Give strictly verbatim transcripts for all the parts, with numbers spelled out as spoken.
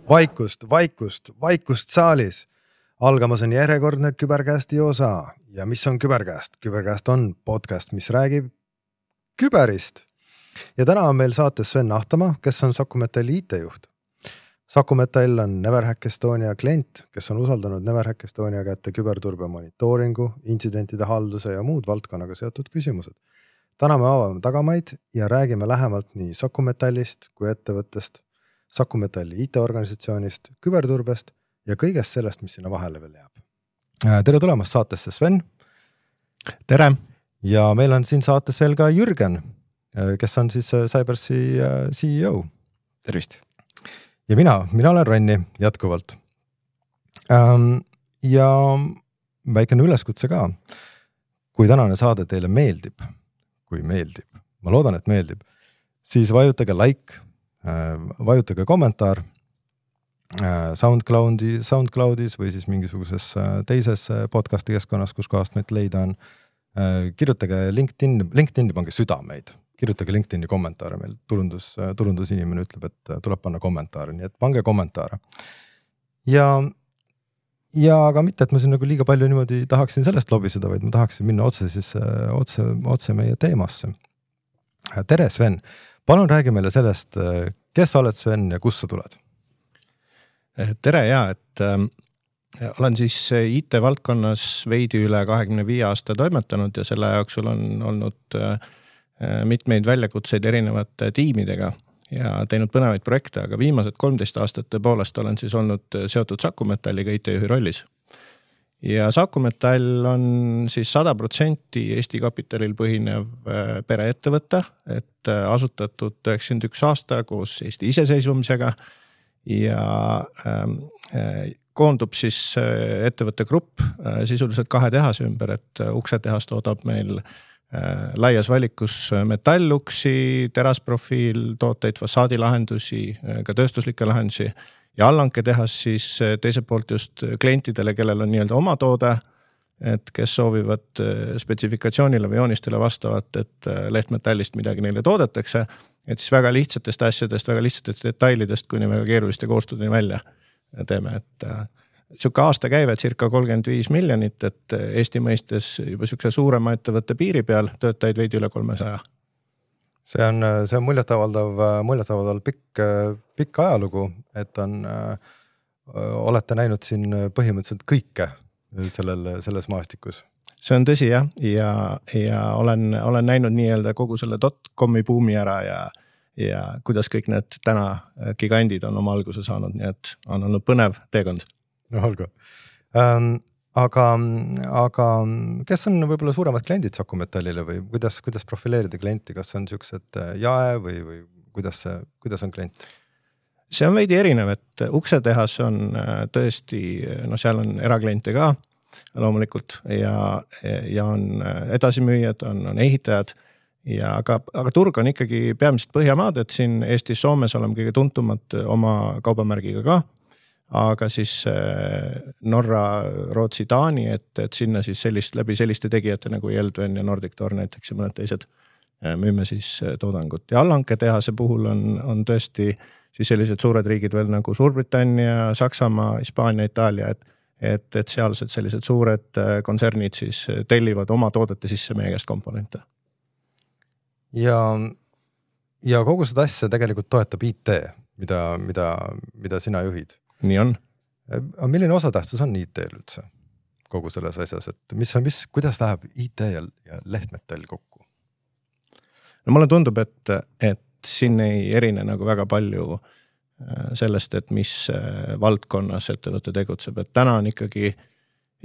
Vaikust, vaikust, vaikust saalis. Algamas on järjekordne Küberkästi osa. Ja mis on Küberkäst? Küberkäst on podcast, mis räägib küberist. Ja täna on meil saates Sven Ahtama, kes on Saku Metalli I T-juht. Saku Metall on Neverhack Estonia klient, kes on usaldanud Neverhack Estonia kätte küberturbe monitooringu, intsidentide halduse ja muud valdkonnaga seotud küsimused. Täna me avame tagamaid ja räägime lähemalt nii Saku Metallist kui ettevõttest, Saku Metalli I T-organisatsioonist, küberturbest ja kõigest sellest, mis sinna vahele veel jääb. Tere tulemast saatesse, Sven. Tere. Ja meil on siin saates veel ka Jürgen, kes on siis Cybersi C E O. Tervist. Ja mina, mina olen Ronni jätkuvalt. Ja väikene üleskutse ka. Kui tänane saade teile meeldib, kui meeldib, ma loodan, et meeldib, siis vajutage like, vajutage kommentaar SoundCloudi, SoundCloudis või siis mingisuguses teises podcasti keskkonnas, kus kohast meid leida on. Kirjutage LinkedIn, LinkedIni pange südameid, kirjutage LinkedIni kommentaare, meil turundus, turundusinimene ütleb, et tuleb panna kommentaare, nii et pange kommentaare. Ja, ja aga mitte, et ma siin nagu liiga palju niimoodi tahaksin sellest lobiseda, vaid ma tahaksin minna otse, siis, otse, otse meie teemasse. Tere, Sven! Palun räägi meile sellest, kes sa oled, Sven, ja kus sa tuled? Tere, ja, et äh, olen siis I T-valdkonnas veidi üle kahekümne viie aasta toimetanud ja selle jooksul on olnud äh, mitmeid väljakutseid erinevate tiimidega ja teinud põnevaid projekte, aga viimased kolmteist aastat tõepoolest olen siis olnud seotud Saku Metalliga I T-juhi rollis. Ja Saku Metall on siis sada protsenti Eesti kapitalil põhinev äh, pereettevõte, et äh, asutatud üheksakümmend üks aasta koos Eesti iseseisvumisega ja äh, koondub siis äh, ettevõtte grupp äh, sisuliselt kahe tehase ümber, et äh, uksetehas toodab meil äh, laias valikus metalluksi, terasprofiil, tooteid, fassaadilahendusi, äh, ka tööstuslikke lahendusi ja allanke tehas siis äh, teiselt poolt just klientidele, kellel on nii-öelda oma toode, et kes soovivad äh, spetsifikatsioonile või joonistele vastavat, et äh, lehtmetallist midagi neile toodetakse. Et siis väga lihtsatest asjadest, väga lihtsatest detailidest, kuni väga keeruliste koostudeni välja teeme. Et äh, siuke aasta käive circa kolmkümmend viis miljonit, et Eesti mõistes juba siukse suurema ettevõtte piiri peal töötajaid veidi üle kolmesaja. See on, see on muljetavaldav, muljetavaldav pikk, pikk ajalugu, et on, äh, olete näinud siin põhimõtteliselt kõike sellel, selles maastikus. See on tõsi, jah, ja, ja olen, olen näinud nii-öelda kogu selle dot-comi buumi ära ja, ja kuidas kõik need täna gigandid on oma alguse saanud, nii et on olnud põnev teekond. No olgu. Ähm, aga, aga kes on võib-olla suuremad kliendid Saku Metallile või kuidas, kuidas profileerida klienti, kas on siuksed jae või, või kuidas, kuidas on klient? See on veidi erinev, et uksetehas on tõesti, no seal on erakliente ka, loomulikult ja, ja on edasimüüjad, on, on ehitajad ja aga, aga turg on ikkagi peamiselt Põhjamaad, et siin Eestis, Soomes oleme kõige tuntumad oma kaubamärgiga ka, aga siis Norra, Rootsi, Taani, et, et sinna siis sellist, läbi selliste tegijate nagu Yeldven ja Nordic Door näiteks ja mõned teised müüme siis toodangut ja allanke tehase puhul on, on tõesti siis sellised suured riigid veel nagu Suurbritannia, Saksamaa, Hispaania, Itaalia, et Et, et sealsed sellised suured kontsernid siis tellivad oma toodete sisse meie käest komponente. Ja, ja kogu seda asja tegelikult toetab I T, mida, mida, mida sina juhid. Nii on. Milline osatähtsus on I T-l üldse kogu selles asjas, et mis on, mis, kuidas läheb I T ja, ja lehtmetall kokku? No mulle tundub, et, et siin ei erine nagu väga palju sellest, et mis valdkonnas ettevõte tegutseb. Et täna on ikkagi,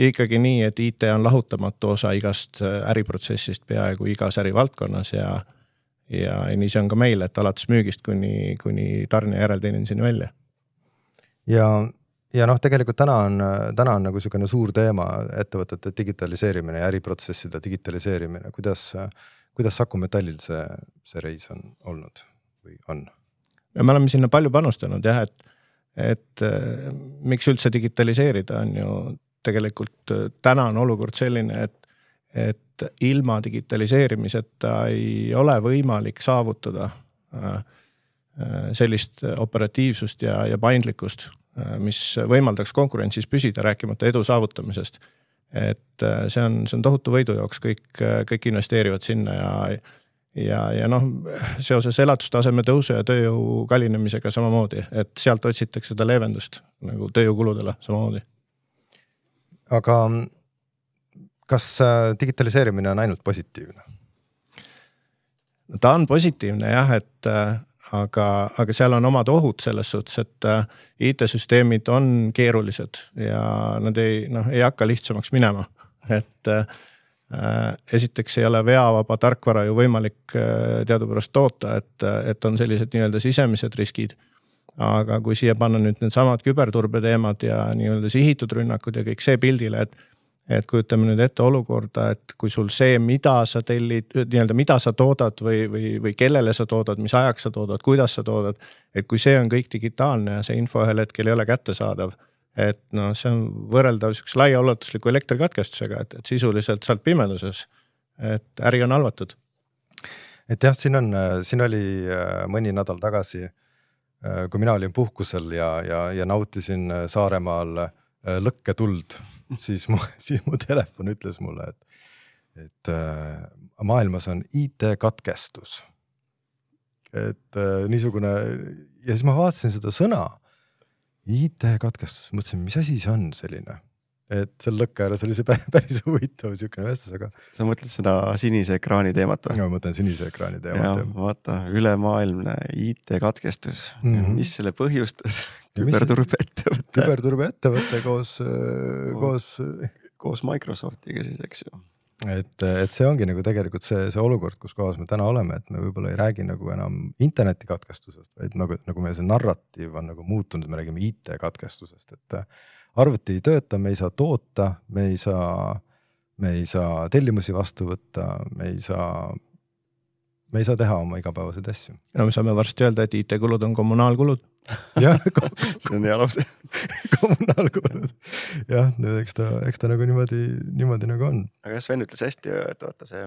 ikkagi nii, et I T on lahutamatu osa igast äriprotsessist peaaegu igas ärivaldkonnas ja, ja nii see on ka meil, et alates müügist kuni, kuni tarne järelteeninduseni välja. Ja, ja noh, tegelikult täna on, täna on nagu selline suur teema ettevõtete digitaliseerimine ja äriprotsesside digitaliseerimine. Kuidas, kuidas Saku Metallil see, see reis on olnud või on? Ja me oleme sinna palju panustanud, jah, et, et miks üldse digitaliseerida on ju tegelikult täna on olukord selline, et, et ilma digitaliseerimiseta ei ole võimalik saavutada sellist operatiivsust ja, ja paindlikkust, mis võimaldaks konkurentsis püsida, rääkimata edu saavutamisest. Et see on, see on tohutu võidu jooks, kõik, kõik investeerivad sinna ja ja, ja noh, seoses elatustaseme tõusu ja tööjõu kallinemisega samamoodi, et sealt otsitakse seda leevendust nagu tööjõukuludele samamoodi. Aga kas digitaliseerimine on ainult positiivne? Ta on positiivne jah, et aga, aga seal on omad ohud selles suhtes, et I T-süsteemid on keerulised ja nad ei, noh, ei hakka lihtsamaks minema. Et esiteks ei ole veavaba tarkvara ju võimalik teadupärast toota, et, et on sellised nii-öelda sisemised riskid. Aga kui siia panna nüüd need samad küberturbe teemad ja nii-öelda sihitud rünnakud ja kõik see pildile, et et kujutame nüüd ette olukorda, et kui sul see, mida sa tellid, nii-öelda mida sa toodad või, või, või kellele sa toodad, mis ajaks sa toodad, kuidas sa toodad, et kui see on kõik digitaalne ja see info ühel hetkel ei ole kättesaadav, et no see on võrreldav sükse laiaulatusliku elektrikatkestusega, et, et sisuliselt saalt pimeduses, et äri on halvatud. Et jah, siin on, siin oli mõni nädal tagasi, kui mina olin puhkusel ja, ja, ja nautisin Saaremaal lõkketuld, siis mu, siis mu telefon ütles mulle, et, et äh, maailmas on I T-katkestus. Et äh, niisugune, ja siis ma vaatasin seda sõna, I T-katkestus, mõtlesin, mis asi see on selline? Et seal lõkke ääres oli see päris, päris huvitav siukene vestus, aga... Sa mõtled seda sinise ekraani teemat või? Ja, ma mõtlen sinise ekraani teemat. Ja, vaata, ülemaailmne I T-katkestus, mm-hmm. mis selle põhjustas? Küberturbe ettevõte. Küberturbe ettevõte koos, koos, koos Microsoftiga siis, eks ju. Et, et see ongi nagu tegelikult see, see olukord, kus kohas me täna oleme, et me võib-olla ei räägi nagu enam interneti katkestusest, vaid nagu, nagu meil see narratiiv on nagu muutunud, me räägime I T-katkestusest, et arvuti ei tööta, me ei saa toota, me ei saa, me ei saa tellimusi vastu võtta, me ei saa, me ei saa teha oma igapäevaseid asju. Ja me saame varsti öelda, et I T-kulud on kommunaalkulud. Jah, see on hea lause. Kommunaalkulud. Jah, nüüd eks ta, eks ta nagu niimoodi, niimoodi nagu on. Aga Sven ütles hästi, et vaata see,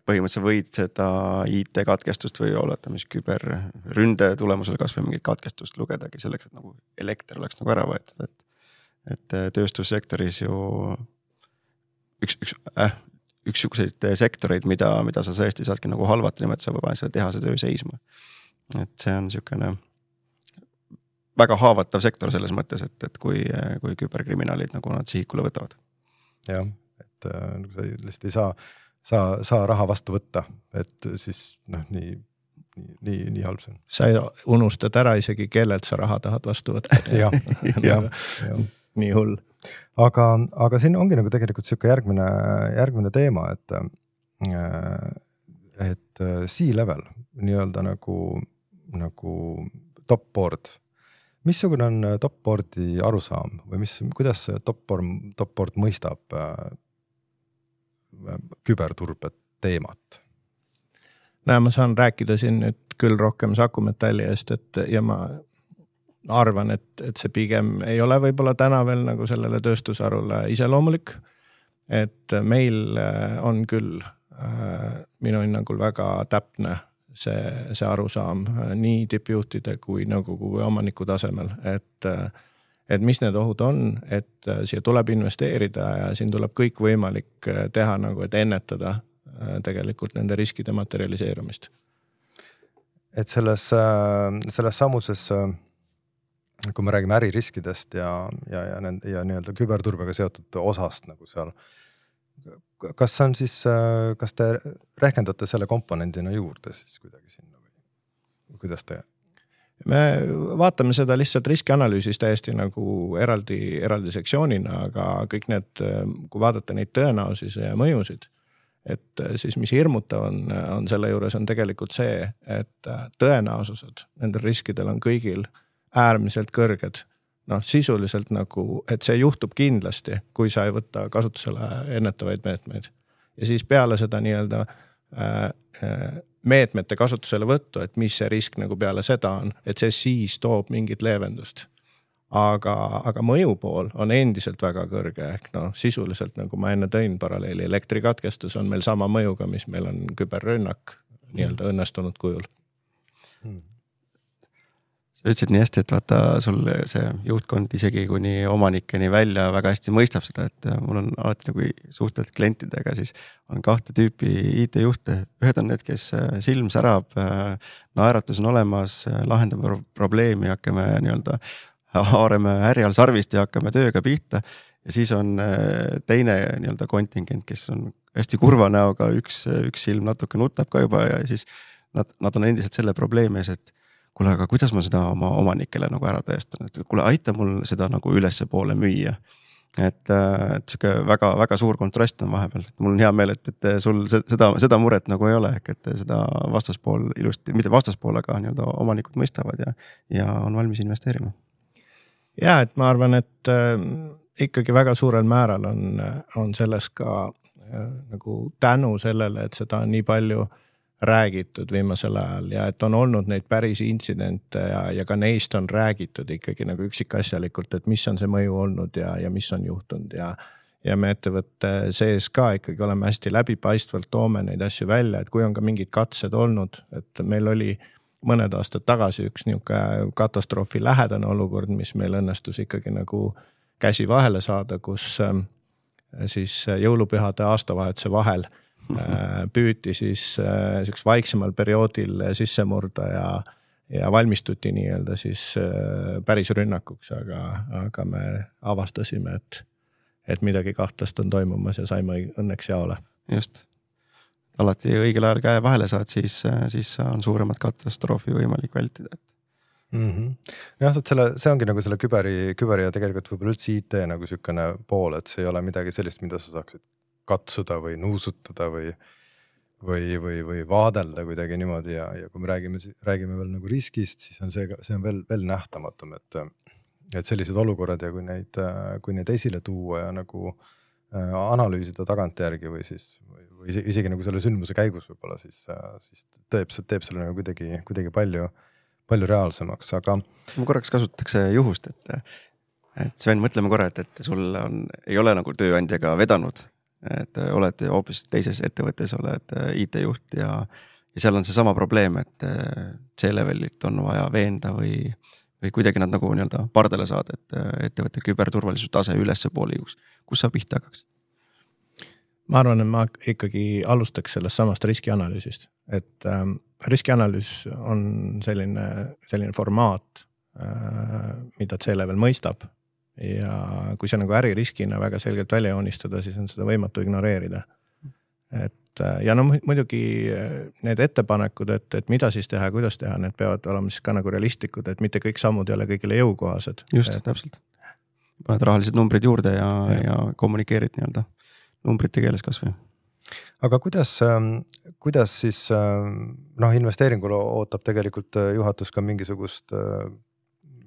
põhimõtteliselt võid seda I T-katkestust või oleta, mis küberründe tulemusel kas või mingit katkestust lugedagi selleks, et nagu elekter oleks nagu ära võetud. Et, et tööstussektoris ju üks, üks, äh, üksuguseid sektoreid, mida, mida sa tõesti saadki nagu halvata, nimelt sa võib selle tehase töö seisma. Et see on niisugune väga haavatav sektor selles mõttes, et, et kui, kui küberkriminaalid nagu nad sihikule võtavad. Jah, et nagu sa lihtsalt ei saa, saa, saa raha vastu võtta, et siis noh, nii, nii, nii, nii halb see on. Sa unustad ära isegi, kellelt sa raha tahad vastu võtta. jah, jah, jah. Nii hull. Aga, aga siin ongi nagu tegelikult siuke järgmine, järgmine teema, et, et C-level, nii-öelda nagu, nagu top board. Missugune on top boardi arusaam või mis, kuidas top board, top board mõistab äh, küberturbe teemat? Näe, ma saan rääkida siin nüüd küll rohkem Saku Metalli eest, et ja ma arvan, et, et see pigem ei ole võib-olla täna veel nagu sellele tööstusarule iseloomulik, et meil on küll äh, minu hinnangul väga täpne see, see arusaam nii tippjuhtide kui nõukogu või omaniku tasemel, et, et mis need ohud on, et siia tuleb investeerida ja siin tuleb kõik võimalik teha nagu, et ennetada tegelikult nende riskide materialiseerumist. Et selles, selles samuses, kui me räägime äririskidest ja, ja, ja, nende, ja nii-öelda küberturbega seotud osast nagu seal, kas on siis, kas te rehkendate selle komponendina juurde siis kuidagi sinna või kuidas te? Me vaatame seda lihtsalt riskianalüüsis täiesti nagu eraldi, eraldi sektsioonina, aga kõik need, kui vaadata neid tõenäosusi ja mõjusid, et siis mis hirmutav on, on selle juures on tegelikult see, et tõenäosused nendel riskidel on kõigil äärmiselt kõrged. Noh, sisuliselt nagu, et see juhtub kindlasti, kui sa ei võtta kasutusele ennetavaid meetmeid. Ja siis peale seda nii-öelda meetmete kasutusele võttu, et mis see risk nagu peale seda on, et see siis toob mingit leevendust. Aga, aga mõju pool on endiselt väga kõrge, ehk noh, sisuliselt nagu ma enne tõin paralleeli, elektrikatkestus on meil sama mõjuga, mis meil on küberrünnak nii-öelda õnnestunud kujul. sa ütlesid nii hästi, et vaata sul see juhtkond isegi kuni omanikeni välja väga hästi mõistab seda, et mul on alati nagu suhted klientidega, siis on kahte tüüpi I T-juhte. Ühed on need, kes silm särab, naeratus on olemas, lahendame probleemi, hakkame nii-öelda haareme härjal sarvist ja hakkame tööga pihta. Ja siis on teine nii-öelda kontingent, kes on hästi kurva näoga, üks, üks silm natuke nutab ka juba ja siis nad, nad on endiselt selle probleemi ees, et kuule, aga kuidas ma seda oma omanikele nagu ära tõestan, et kuule, aita mul seda nagu ülesse poole müüa. Et, et siuke väga, väga suur kontrast on vahepeal, et mul on hea meel, et, et sul seda, seda muret nagu ei ole, ehk et seda vastaspool ilusti, mitte vastaspool, aga nii-öelda omanikud mõistavad ja, ja on valmis investeerima. Ja, et ma arvan, et äh, ikkagi väga suurel määral on, on selles ka äh, nagu tänu sellele, et seda on nii palju räägitud viimasel ajal ja et on olnud neid päris intsidente ja, ja ka neist on räägitud ikkagi nagu üksikasjalikult, et mis on see mõju olnud ja, ja mis on juhtunud ja, ja me ettevõtte sees ka ikkagi oleme hästi läbipaistvalt toome neid asju välja, et kui on ka mingid katsed olnud, et meil oli mõned aastad tagasi üks niisugune katastroofi lähedane olukord, mis meil õnnestus ikkagi nagu käsi vahele saada, kus äh, siis jõulupühade aastavahetuse vahel püüti siis selliseks vaiksemal perioodil sisse murda ja, ja valmistuti nii-öelda siis päris rünnakuks, aga, aga me avastasime, et, et midagi kahtlast on toimumas ja saime õnneks jaole. Just. Alati õigel ajal käe vahele saad, siis, siis on suuremat katastroofi võimalik vältida. Mm-hmm. Ja, selle, see ongi nagu selle küberi, küberi ja tegelikult võib-olla üldse I T nagu sükene pool, et see ei ole midagi sellist, mida sa saaksid katsuda või nuusutada või, või, või, või vaadelda kuidagi niimoodi ja, ja kui me räägime, räägime veel nagu riskist, siis on see, see on veel, veel nähtamatum, et, et sellised olukorrad ja kui neid, kui neid esile tuua ja nagu äh, analüüsida tagantjärgi või siis või, või isegi nagu selle sündmuse käigus võib-olla, siis, siis teeb, teeb selle nagu kuidagi, kuidagi palju, palju reaalsemaks, aga ma korraks kasutatakse juhust, et, et Sven, mõtleme korra, et, et sul on, ei ole nagu tööandjaga vedanud, et oled hoopis teises ettevõttes, oled I T-juht ja, ja seal on see sama probleem, et C-levelit on vaja veenda või, või kuidagi nad nagu nii-öelda pardale saada, et ettevõtte küberturvalisuse tase ülesse poole juhus. Kus sa pihta hakkaks? Ma arvan, et ma ikkagi alustaks sellest samast riskianalüüsist, et ähm, riskianalüüs on selline, selline formaat, äh, mida C-level mõistab. Ja kui see nagu äririskina väga selgelt välja joonistada, siis on seda võimatu ignoreerida. Et, ja no muidugi need ettepanekud, et, et mida siis teha, kuidas teha, need peavad olema siis ka nagu realistlikud, et mitte kõik sammud ei ole kõigile jõukohased. Just, et, täpselt. Paned rahalised numbrid juurde ja, ja. ja kommunikeerid nii-öelda numbrite keeles kas või. Aga kuidas, kuidas siis noh, investeeringul ootab tegelikult juhatus ka mingisugust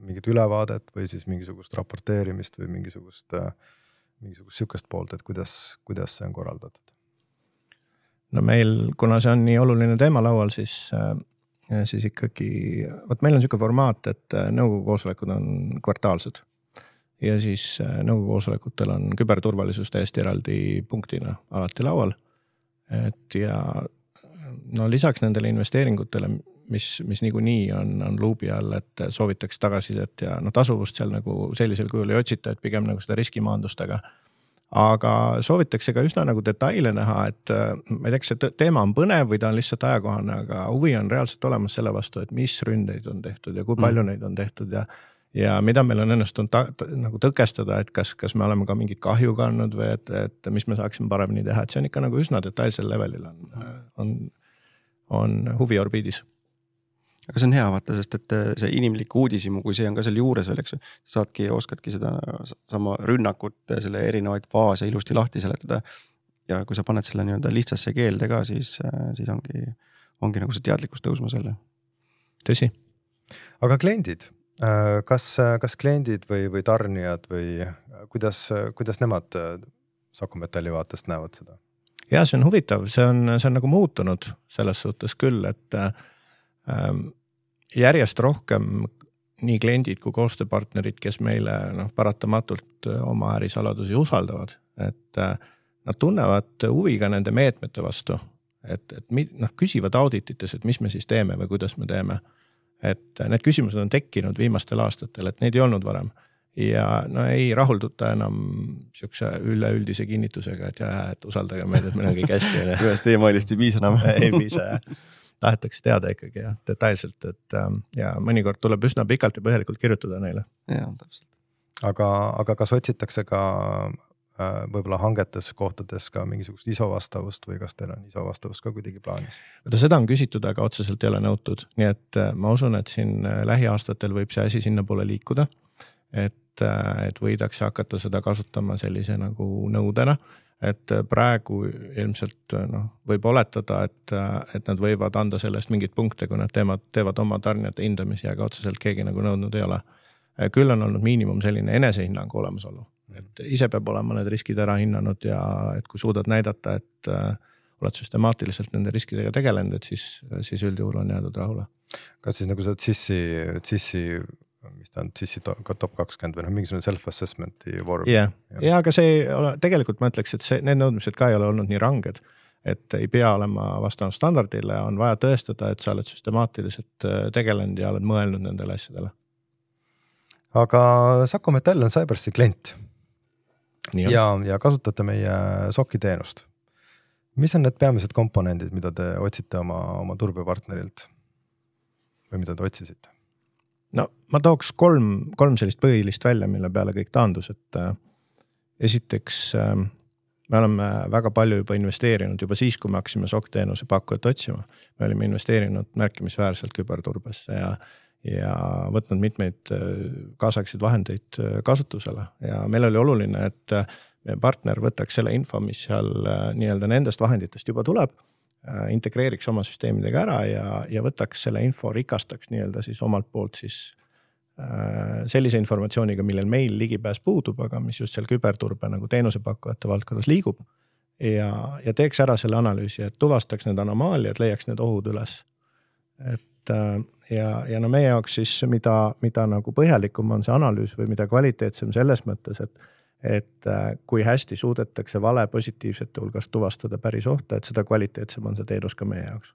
mingit ülevaadet või siis mingisugust raporteerimist või mingisugust, mingisugust sükest poolt, et kuidas, kuidas see on korraldatud? No meil, kuna see on nii oluline teema laual, siis, siis ikkagi, võt meil on selline formaat, et nõukogu koosolekud on kvartaalsed ja siis nõukogu koosolekutel on küberturvalisus täiesti eraldi punktina alati laual. Et ja no lisaks nendele investeeringutele, mis, mis niikuinii on, on luubi all, et soovitaks tagasidet ja no tasuvust seal nagu sellisel kujul ei otsita, et pigem nagu seda riskimaandustega. Aga soovitakse ka üsna nagu detaile näha, et ma ei tea, kas see teema on põnev või ta on lihtsalt ajakohane, aga huvi on reaalselt olemas selle vastu, et mis ründeid on tehtud ja kui palju mm. neid on tehtud ja, ja mida meil on õnnestunud ta, ta, nagu tõkestada, et kas, kas me oleme ka mingit kahju kandnud või et, et mis me saaksime paremini teha, et see on ikka nagu üsna detailsel levelil on, on, on huvi orbiidis. Aga see on hea vaata, sest et see inimlik uudisimu, kui see on ka seal juures veel, eks, saadki ja oskadki seda sama rünnakut, selle erinevaid faase ilusti lahti seletada. Ja kui sa paned selle nii-öelda lihtsasse keelde ka, siis, siis ongi, ongi nagu see teadlikkus tõusma selle. Tõsi. Aga kliendid, kas, kas kliendid või, või tarnijad või kuidas, kuidas nemad Saku Metalli vaatest näevad seda? Ja see on huvitav, see on, see on nagu muutunud selles suhtes küll, et järjest rohkem nii kliendid kui koostööpartnerid, kes meile noh, paratamatult oma ärisaladusi usaldavad, et nad tunnevad huvi ka nende meetmete vastu, et, et noh, küsivad auditites, et mis me siis teeme või kuidas me teeme. et need küsimused on tekkinud viimastel aastatel, et neid ei olnud varem. Ja no ei rahulduta enam siukse üleüldise kinnitusega, et, jah, et usaldage meid, et meil on kõik hästi. Ühest e-mailist ei piisa enam. ei piisa, jah. Tahetakse teada ikkagi ja detailselt, et ja mõnikord tuleb üsna pikalt ja põhjalikult kirjutada neile. Ja, täpselt. Aga, aga kas otsitakse ka võib-olla hangetes kohtades ka mingisugust I S O vastavust või kas teil on I S O vastavust ka kuidagi plaanis? Võtta seda on küsitud, aga otseselt ei ole nõutud. Nii et ma usun, et siin lähiaastatel võib see asi sinna poole liikuda, et, et võidakse hakata seda kasutama sellise nagu nõudena, et praegu ilmselt no, võib oletada, et, et nad võivad anda sellest mingit punkte, kui nad teevad, teevad oma tarnijate hindamisi, aga otseselt keegi nagu nõudnud ei ole. Küll on olnud miinimum selline enesehinnangu olemasolu. Et ise peab olema need riskid ära hinnanud ja et kui suudad näidata, et äh, oled süstemaatiliselt nende riskidega tegelenud, et siis, siis üldjuhul on jäädud rahule. Kas siis nagu see C I S I, C I S I, mis ta on, C I S I top kakskümmend või mingisugune self-assessmenti vorm? Yeah. Ja. ja, aga see tegelikult ma ütleks, et see, need nõudmised ka ei ole olnud nii ranged, et ei pea olema vastanud standardile, on vaja tõestada, et sa oled süstemaatiliselt tegelenud ja oled mõelnud nendele asjadele. Aga Saku Metall on Cybersi klient. Ja, ja kasutate meie S O C-i teenust. Mis on need peamised komponendid, mida te otsite oma, oma turbepartnerilt või mida te otsisite? No ma tooks kolm, kolm sellist põhilist välja, mille peale kõik taandus, et äh, esiteks äh, me oleme väga palju juba investeerinud juba siis, kui me hakkasime S O C teenuse pakkujat otsima. Me olime investeerinud märkimisväärselt küberturbesse ja ja võtnud mitmeid kaasaegseid vahendeid kasutusele ja meil oli oluline, et meie partner võtaks selle info, mis seal nii-öelda nendest vahenditest juba tuleb, integreeriks oma süsteemidega ära ja, ja võtaks selle info, rikastaks nii-öelda siis omalt poolt siis sellise informatsiooniga, millel meil ligipääs puudub, aga mis just seal küberturbe nagu teenusepakkujate valdkonnas liigub ja, ja teeks ära selle analüüsi, et tuvastaks need anomaaliad, leiaks need ohud üles. Et ja, ja no meie jaoks siis, mida, mida nagu põhjalikum on see analüüs või mida kvaliteetsem selles mõttes, et, et kui hästi suudetakse vale positiivsete hulgas tuvastada päris ohta, et seda kvaliteetsem on see teenus ka meie jaoks.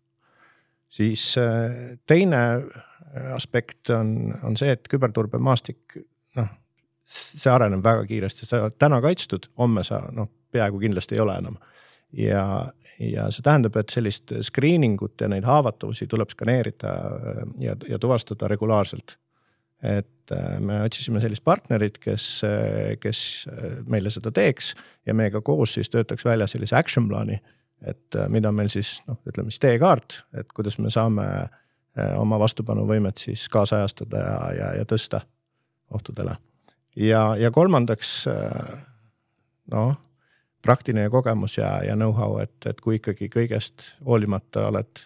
Siis teine aspekt on, on see, et küberturbe maastik, noh, see areneb väga kiiresti, sa oled täna kaitstud, homme sa noh, peaaegu kindlasti ei ole enam. Ja, ja see tähendab, et sellist screeningut ja neid haavatavusi tuleb skaneerida ja, ja tuvastada regulaarselt. Et me otsisime sellist partnerit, kes, kes meile seda teeks ja meiega koos siis töötaks välja sellise action plaani, et mida meil siis, noh, ütleme siis teekaart, et kuidas me saame oma vastupanuvõimet siis kaasajastada ja, ja, ja tõsta ohtudele. Ja, ja kolmandaks, noh, praktiline kogemus ja, ja know-how, et, et kui ikkagi kõigest hoolimata oled,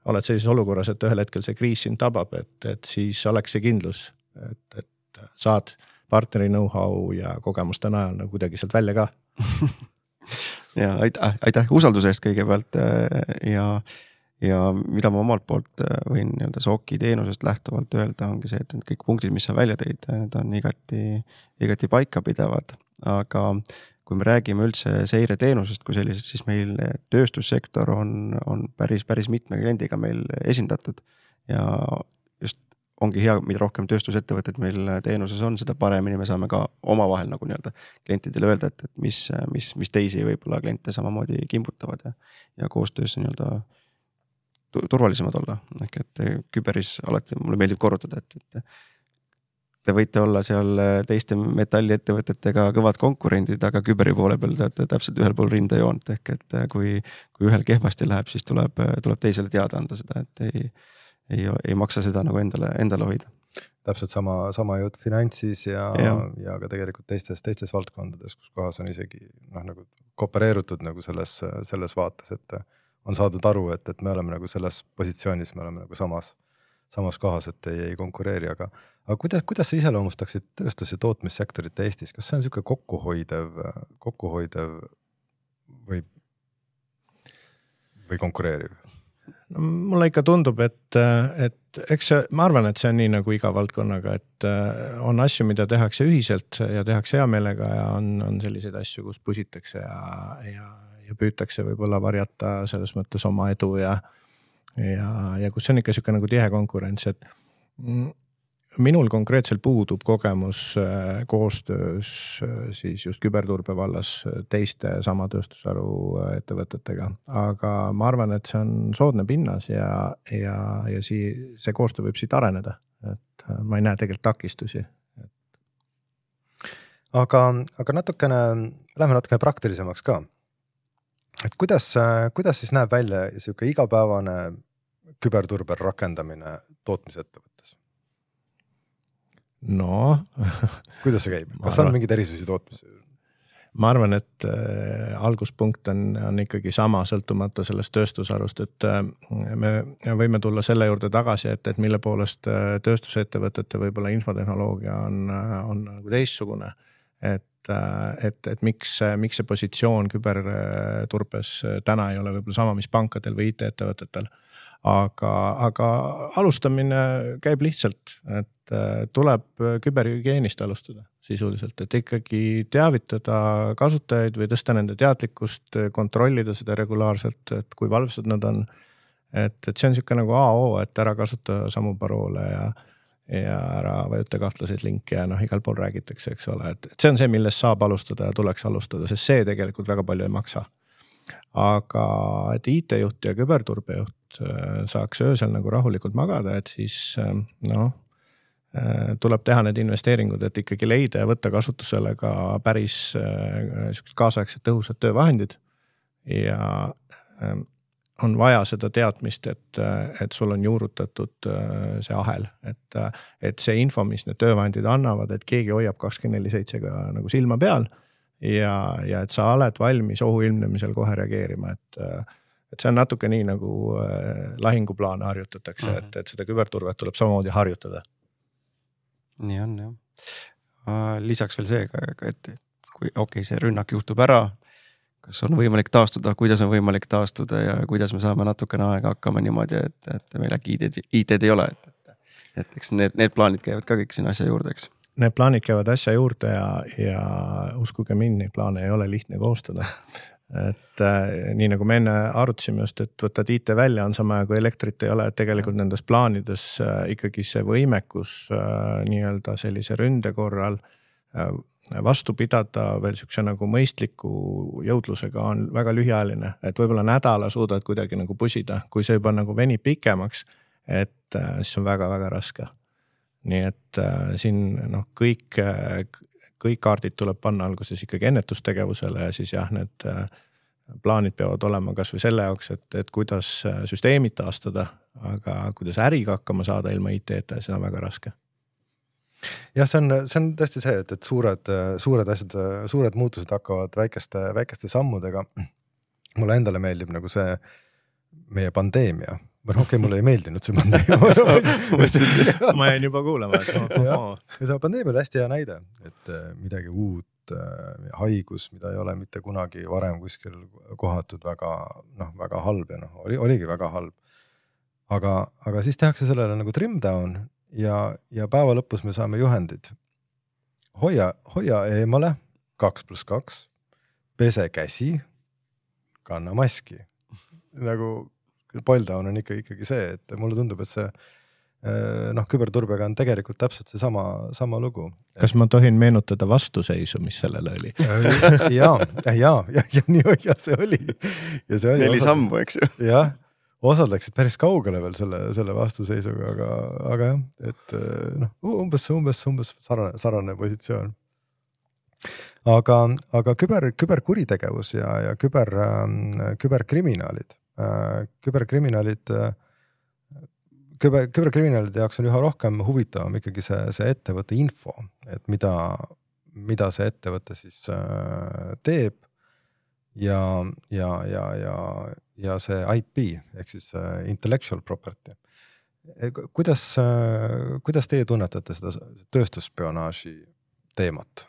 oled sellises olukorras, et ühel hetkel see kriis sind tabab, et, et siis oleks see kindlus, et, et saad partneri know-how ja kogemuste najal nagu kuidagi sealt välja ka. ja aitäh, aitäh usalduse eest kõigepealt ja, ja mida ma omalt poolt võin nii-öelda S O C-i teenusest lähtuvalt öelda, ongi see, et kõik punktid, mis sa välja tõid, need on igati, igati paika pidavad, aga kui me räägime üldse seireteenusest kui sellisest, siis meil tööstussektor on, on päris, päris mitme kliendiga meil esindatud ja just ongi hea, mida rohkem tööstusettevõtted meil teenuses on, seda paremini me saame ka oma vahel nagu nii-öelda klientidele öelda, et, et mis, mis, mis teisi võib-olla kliente samamoodi kimbutavad ja, ja koostöös nii-öelda turvalisemad olla. Ehk et küberis alati mulle meeldib korrutada, et, et te võite olla seal teiste metalliettevõtetega kõvad konkurendid, aga küberi poole peal teate täpselt ühel pool rindejoont. Ehk et kui, kui ühel kehvasti läheb, siis tuleb, tuleb teisele teada anda seda, et ei, ei, ei maksa seda nagu endale, endale hoida. Täpselt sama, sama jutt finantsis ja, ja. ja ka tegelikult teistes, teistes valdkondades, kus kohas on isegi noh, nagu koopereerutud nagu selles, selles vaates, et on saadud aru, et, et me oleme nagu selles positsioonis, me oleme nagu samas samas kohas, et ei, ei konkureeri, aga, aga kuidas, kuidas sa iseloomustaksid tööstus- ja tootmissektorit Eestis? Kas see on niisugune kokkuhoidev, kokkuhoidev või, või konkureeriv? No, mulle ikka tundub, et, et eks see, ma arvan, et see on nii nagu iga valdkonnaga, et on asju, mida tehakse ühiselt ja tehakse hea meelega ja on, on selliseid asju, kus pusitakse ja, ja, ja püütakse võib-olla varjata selles mõttes oma edu ja Ja, ja kus on ikka siuke nagu tihe konkurents, et, Minul konkreetselt puudub kogemus koostöös siis just küberturbe vallas teiste sama tööstusharu ettevõtetega, aga ma arvan, et see on soodne pinnas ja, ja, ja sii, see koostöö võib siit areneda, et ma ei näe tegelikult takistusi. Aga, aga natukene, lähme natukene praktilisemaks ka. Et kuidas, kuidas siis näeb välja selline igapäevane küberturbe rakendamine tootmisettevõttes? No. Kuidas see käib? Kas on mingid erisusi tootmise? Ma arvan, et äh, alguspunkt on, on ikkagi sama sõltumata sellest tööstusarust, et äh, me võime tulla selle juurde tagasi, et, et mille poolest äh, tööstusettevõtete võib-olla infotehnoloogia on, on nagu teissugune, et, äh, et, et miks, miks see positsioon küberturbes täna ei ole võib-olla sama, mis pankadel või I T-ettevõtetel. Aga, aga alustamine käib lihtsalt, et tuleb küberhügieenist alustada sisuliselt, et ikkagi teavitada kasutajaid või tõsta nende teadlikkust, kontrollida seda regulaarselt, et kui valvsad nad on. Et, et see on siuke nagu A O, et ära kasuta samu paroole ja, ja ära vajuta kahtlaseid linke ja noh, igal pool räägitakse, eks ole. Et, et see on see, millest saab alustada ja tuleks alustada, sest see tegelikult väga palju ei maksa. Aga et I T-juht ja küberturbejuht saaks öösel nagu rahulikult magada, et siis noh, tuleb teha need investeeringud, et ikkagi leida ja võtta kasutusele ka päris kaasaegsed tõhusad töövahendid ja on vaja seda teadmist, et, et sul on juurutatud see ahel, et, et see info, mis need töövahendid annavad, et keegi hoiab kakskümmend neli seitse ka nagu silma peal ja, ja et sa oled valmis ohu ilmnemisel kohe reageerima, et et see on natuke nii nagu lahinguplaane harjutatakse, uh-huh. et, et seda küberturvet tuleb samamoodi harjutada. Nii on, jah. Lisaks veel see, et kui okei, see rünnak juhtub ära, kas on võimalik taastuda, kuidas on võimalik taastuda ja kuidas me saame natukene aega hakkama niimoodi, et, et meil äkki I T-d ei ole. Et, et, et eks need, need plaanid käivad ka kõik sinna asja juurde, eks? Need plaanid käivad asja juurde ja, ja uskuge mind, neid plaane ei ole lihtne koostada. Et äh, nii nagu me enne arutasime just, et võtad I T välja, on sama kui elektrit ei ole, et tegelikult nendes plaanides äh, ikkagi see võimekus äh, nii-öelda sellise ründe korral äh, vastu pidada veel siukse nagu mõistliku jõudlusega on väga lühiajaline, et võib-olla nädala suudad kuidagi nagu pusida, kui see juba nagu venib pikemaks, et äh, siis on väga-väga raske. Nii et äh, siin noh, kõik äh, kõik kaardid tuleb panna alguses ikkagi ennetustegevusele ja siis jah, need plaanid peavad olema kas või selle jaoks, et, et kuidas süsteemid taastada, aga kuidas äriga hakkama saada ilma I T-ta, see on väga raske. Jah, see on, see on tõesti see, et, et suured, suured asjad, suured muutused hakkavad väikeste, väikeste sammudega. Mulle endale meeldib nagu see meie pandeemia. Okei, okay, mulle ei meeldinud see pandeemia. Ma jäin juba kuulama. Et ja, ja see pandeemia oli hästi hea näide, et midagi uut haigus, mida ei ole mitte kunagi varem kuskil kohatud väga, noh, väga halb ja noh, oli, oligi väga halb. Aga, aga siis tehakse sellele nagu trim down ja, ja päeva lõpus me saame juhendid. Hoia, hoia eemale, kaks pluss kaks, pese käsi, kanna maski. Nagu Boildown on ikka, ikkagi see, et mulle tundub, et see noh, küberturbega on tegelikult täpselt see sama, sama lugu. Kas ma tohin meenutada vastuseisu, mis sellele oli? ja, ja, ja, ja, nii, ja see oli. Ja see oli Neli osad, sammu, eks ju. Jah, osad läksid päris kaugele veel selle, selle vastuseisuga, aga, aga jah, et noh, umbes, umbes, umbes sarane, sarane positsioon. Aga, aga küber, küberkuritegevus ja, ja küber, küberkriminaalid küberkriminaalid küber, küberkriminaalide jaoks on üha rohkem huvitavam ikkagi see, see ettevõtte info, et mida, mida see ettevõte siis teeb ja, ja, ja, ja, ja see I P ehk siis intellectual property. Kuidas, kuidas teie tunnetate seda tööstusspionaaži teemat?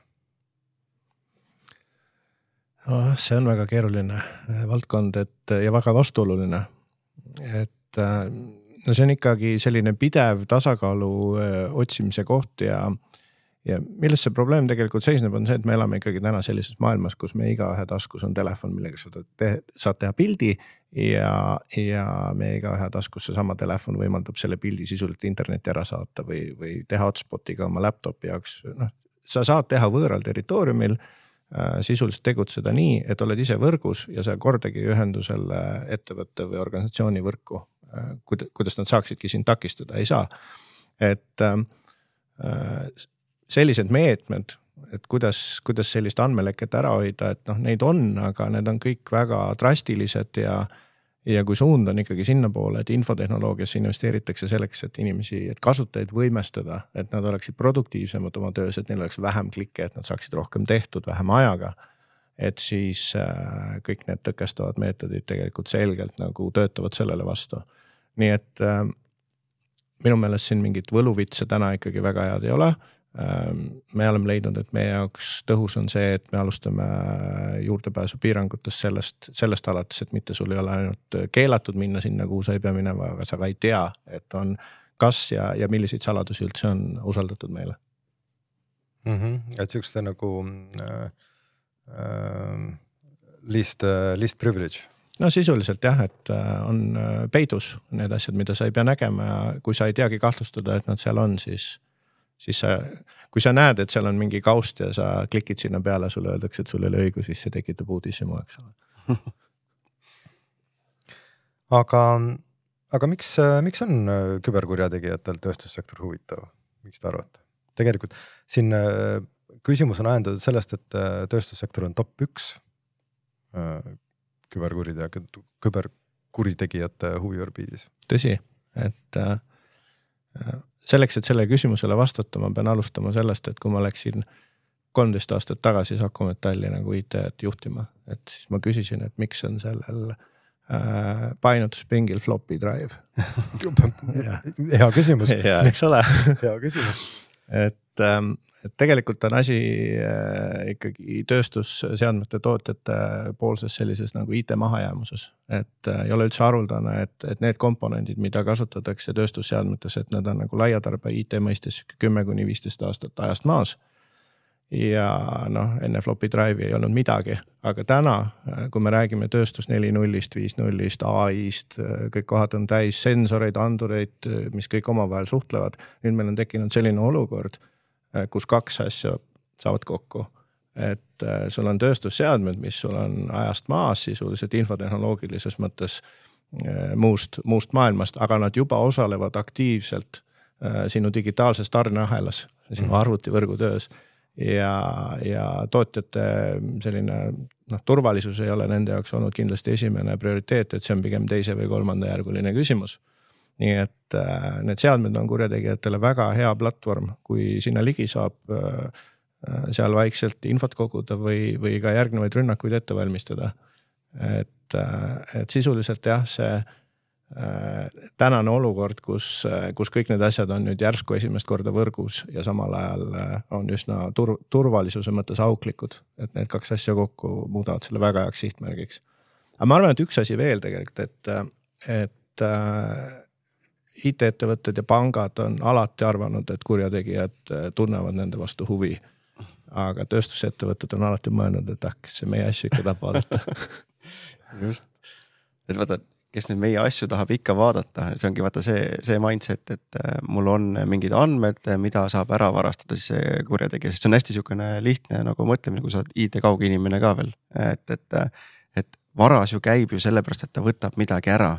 Oh, see on väga keeruline valdkond et, ja väga vastuoluline. Et no see on ikkagi selline pidev tasakaalu otsimise koht ja, ja milles see probleem tegelikult seisneb, on see, et me elame ikkagi täna sellises maailmas, kus me igaühe taskus on telefon, millega sa te, saad teha pildi ja, ja me igaühe taskus seesama telefon võimaldab selle pildi sisuliselt internetti ära saata või, või teha hotspotiga oma laptopi jaoks. Noh, sa saad teha võõral territooriumil äh, sisuliselt tegutseda nii, et oled ise võrgus ja sa kordagi ühendu selle ettevõtte või organisatsiooni võrku, äh, kuidas nad saaksidki sind takistada, ei saa. Et äh, sellised meetmed, et kuidas, kuidas sellist andmeleket ära hoida, et noh, neid on, aga need on kõik väga drastilised ja, ja kui suund on ikkagi sinna poole, et infotehnoloogiasse investeeritakse selleks, et inimesi, et kasutajaid võimestada, et nad oleksid produktiivsemad oma töös, et neil oleks vähem klikke, et nad saaksid rohkem tehtud vähem ajaga, et siis äh, kõik need tõkestavad meetodid tegelikult selgelt nagu töötavad sellele vastu. Nii et äh, minu meelest siin mingit võluvitse täna ikkagi väga head ei ole. Me oleme leidnud, et meie jaoks tõhus on see, et me alustame juurdepääsu piirangutest sellest, sellest alates, et mitte sul ei ole ainult keelatud minna sinna, kuhu sa ei pea minema, aga sa ka ei tea, et on kas ja, ja milliseid saladusi üldse on usaldatud meile. Mm-hmm. Et sükste nagu äh, äh, least, least privilege. No sisuliselt jah, et on peidus need asjad, mida sa ei pea nägema ja kui sa ei teagi kahtlustada, et nad seal on, siis siis sa, kui sa näed, et seal on mingi kaust ja sa klikid sinna peale, sulle öeldakse, et sul ei ole õigus, siis see tekitab uudishimu, eks ole. aga, aga miks, miks on küberkurjategijatel tööstussektor huvitav? Miks te arvate? Tegelikult siin küsimus on ajendatud sellest, et tööstussektor on top üks küberkuritegijate huviorbiidis. Tõsi, et äh, selleks, et selle küsimusele vastata, ma pean alustama sellest, et kui ma läksin kolmteist aastat tagasi Saku Metalli nagu I T-t juhtima, et siis ma küsisin, et miks on sellel äh, painutuspingil floppy drive. Hea küsimus. Ja, eks ole. Hea küsimus. et, ähm, et tegelikult on asi äh, ikkagi tööstusseadmete tootjate poolses sellises nagu I T mahajäämuses. Et äh, ei ole üldse haruldane, et, et need komponendid, mida kasutatakse tööstusseadmetes, et need on nagu laiatarbe I T mõistes kümme kuni viisteist aastat ajast maas. Ja noh, enne floppy drive'i ei olnud midagi, aga täna, kui me räägime tööstus neli nullist, viis nullist, A I-st, kõik kohad on täis sensoreid, andureid, mis kõik omavahel suhtlevad. Nüüd meil on tekkinud selline olukord, kus kaks asja saavad kokku. Et sul on tööstusseadmed, mis sul on ajast maas sisuliselt infotehnoloogilises mõttes muust, muust maailmast, aga nad juba osalevad aktiivselt sinu digitaalses tarneahelas, sinu arvutivõrgu töös. Ja, ja tootjate selline noh, turvalisus ei ole nende jaoks olnud kindlasti esimene prioriteet, et see on pigem teise või kolmanda järguline küsimus. Nii et äh, need seadmed on kurjategijatele väga hea platvorm, kui sinna ligi saab äh, seal vaikselt infot koguda või, või ka järgnevaid rünnakuid ette valmistada. Et, äh, et sisuliselt jah, see tänane olukord, kus, kus kõik need asjad on nüüd järsku esimest korda võrgus ja samal ajal on üsna tur, turvalisuse mõttes auklikud, et need kaks asja kokku muudavad selle väga heaks sihtmärgiks. Aga ma arvan, et üks asi veel tegelikult, et, et I T-ettevõtted ja pangad on alati arvanud, et kurjategijad tunnevad nende vastu huvi. Aga tööstusettevõtted on alati mõelnud, et ah, see meie asju ikka tahab vaadata. Just, et vaata, kes nüüd meie asju tahab ikka vaadata, see ongi vaata see, see mindset, et mul on mingid andmed, mida saab ära varastada siis see kurjategija, sest see on hästi sihukene lihtne nagu mõtlemine, kui sa oled I T kauge inimene ka veel, et, et, et varas ju käib ju sellepärast, et ta võtab midagi ära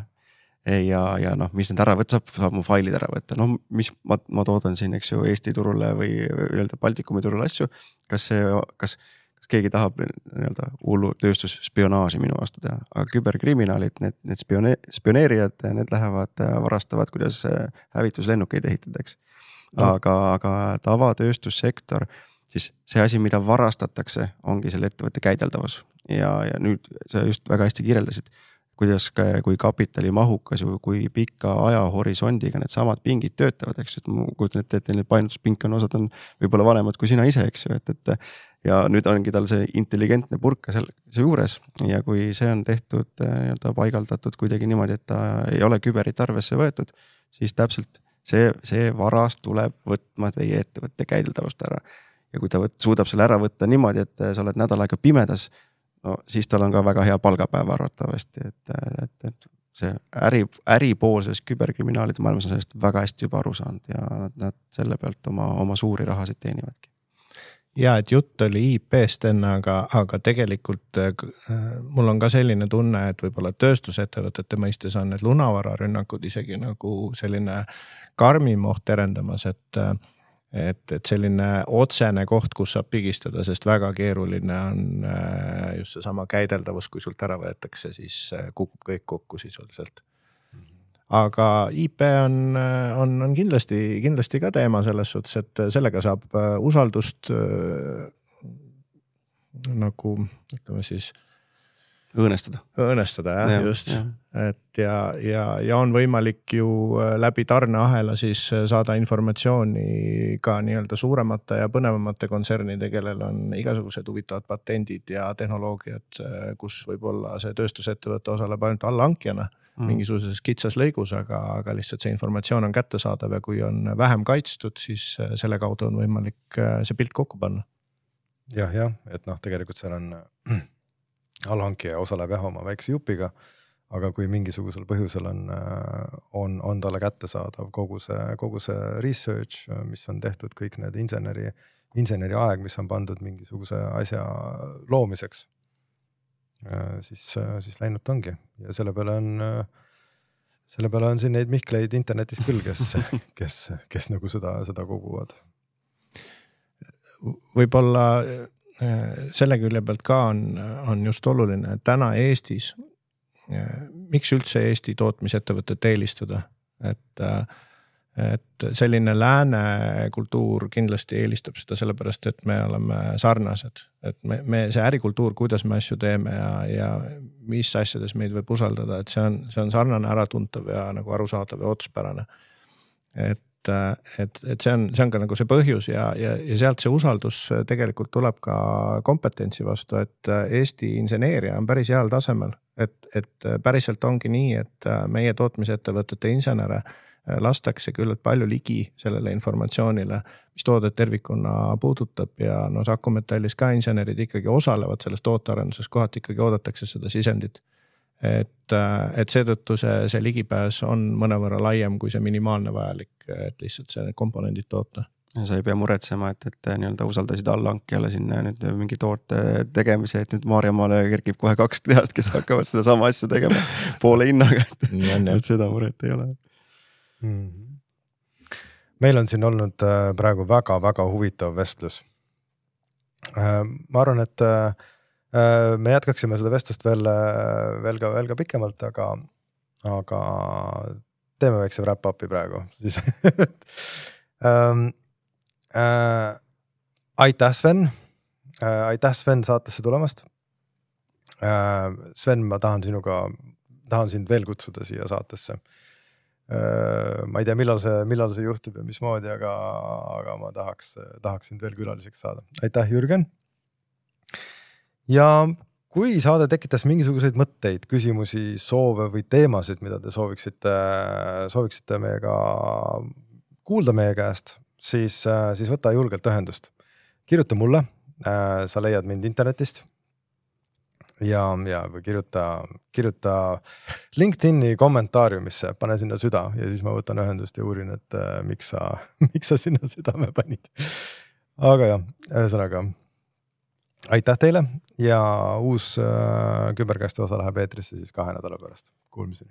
ja, ja noh, mis need ära võtta, saab, saab mu failid ära võtta, noh, mis ma, ma toodan siin, eks ju, Eesti turule või öelda Baltikumi turule asju, kas see, kas kas keegi tahab nii-öelda hullu tööstusspionaaži minu vastu teha, aga küberkriminaalid, need, need spione, spioneerijad, need lähevad, varastavad, kuidas hävituslennukeid ehitadaks. Aga, aga tavatööstussektor, siis see asi, mida varastatakse, ongi selle ettevõtte käideldavus. Ja, ja nüüd sa just väga hästi kirjeldasid, kuidas, kui kapitali mahukas ju, kui pika ajahorisondiga need samad pingid töötavad, eks, et ma kujutan ette, et need painutuspink on, osad on võib-olla vanemad kui sina ise, eks ju, et, et ja nüüd ongi tal see intelligentne purka seal see juures ja kui see on tehtud, nii-öelda paigaldatud kuidagi niimoodi, et ta ei ole küberit arvesse võetud, siis täpselt see, see varas tuleb võtma teie ettevõtte käideldavust ära. Ja kui ta võt, suudab selle ära võtta niimoodi, et sa oled nädal aega pimedas, no siis tal on ka väga hea palgapäev arvatavasti, et, et, et see äri, äri pool sellest küberkriminaalide maailmas on sellest väga hästi juba aru saanud ja nad, nad selle pealt oma, oma suuri rahasid teenivadki. Ja, et jutt oli I P-st enne, aga, aga tegelikult äh, mul on ka selline tunne, et võib-olla tööstusettevõtete mõistes on need lunavararünnakud isegi nagu selline karmim oht terendamas, et, et, et selline otsene koht, kus saab pigistada, sest väga keeruline on äh, just see sama käideldavus, kui sult ära võetakse, siis äh, kukub kõik kokku sisuliselt. Aga I P on, on, on kindlasti, kindlasti ka teema selles suhtes, et sellega saab usaldust äh, nagu, ütleme siis õõnestada. Õõnestada, jah, ja, just. Ja. Et ja, ja, ja on võimalik ju läbi tarneahela siis saada informatsiooni ka nii-öelda suuremate ja põnevamate kontsernide, kellel on igasugused huvitavad patendid ja tehnoloogiad, kus võib-olla see tööstusettevõte osaleb ainult allhankijana mm. mingisuguses kitsas lõigus, aga, aga lihtsalt see informatsioon on kättesaadav ja kui on vähem kaitstud, siis selle kaudu on võimalik see pilt kokku panna. Jah, jah, et noh, tegelikult seal on allhankija osaleb jah oma väikse jupiga, aga kui mingisugusel põhjusel on, on, on talle kättesaadav kogu see, kogu see research, mis on tehtud kõik need inseneri, inseneri aeg, mis on pandud mingisuguse asja loomiseks, siis, siis läinud ongi. Ja selle peale on, selle peale on siin neid Mihkleid internetis küll, kes, kes, kes nagu seda, seda koguvad. Võib-olla selle külje pealt ka on, on just oluline, et täna Eestis, miks üldse Eesti tootmisettevõtet eelistada, et, et selline lääne kultuur kindlasti eelistab seda sellepärast, et me oleme sarnased, et me, me see ärikultuur, kuidas me asju teeme ja, ja mis asjades meid võib usaldada, et see on, see on sarnane äratuntav ja nagu arusaadav ja otspärane. Et et, et see on, see on ka nagu see põhjus ja, ja, ja sealt see usaldus tegelikult tuleb ka kompetentsi vastu, et Eesti inseneeria on päris heal tasemel, et, et päriselt ongi nii, et meie tootmisettevõtete insenere lastakse küllalt palju ligi sellele informatsioonile, mis toodet tervikuna puudutab ja no Saku-Metallis ka insenerid ikkagi osalevad selles tootearenduses, kohati ikkagi oodatakse seda sisendit. Et, et seetõttu see, see ligipääs on mõnevõrra laiem kui see minimaalne vajalik, et lihtsalt see komponendid toota. Sa ei pea muretsema, et, et nii-öelda usaldasid allhankijale sinna nüüd mingi toote tegemise, et nüüd Maarjamaale kerkib kohe kaks tehast, kes hakkavad seda sama asja tegema poole hinnaga, et, et seda muret ei ole. Mm-hmm. Meil on siin olnud praegu väga-väga huvitav vestlus. Ma arvan, et me jätkaksime seda vestlust veel, veel, ka, veel ka pikemalt, aga, aga teeme väikse wrap-upi praegu. Siis, ähm, äh, aitäh, Sven. Äh, aitäh, Sven, saatesse tulemast. Äh, Sven, ma tahan sinuga, tahan sind veel kutsuda siia saatesse. Äh, ma ei tea, millal see, millal see juhtub ja mismoodi, aga, aga ma tahaks, tahaks sind veel külaliseks saada. Aitäh, Jürgen. Ja kui saade tekitas mingisuguseid mõtteid, küsimusi, soove või teemasid, mida te sooviksite, sooviksite meiega kuulda meie käest, siis, siis võta julgelt ühendust. Kirjuta mulle, sa leiad mind internetist ja, ja või kirjuta, kirjuta LinkedIni kommentaariumisse, pane sinna süda ja siis ma võtan ühendust ja uurin, et miks sa, miks sa sinna südame panid. Aga jah, ühesõnaga aitäh teile ja uus äh, küberkästi osa läheb eetrisse siis kahe nädala pärast. Kuulmiseni.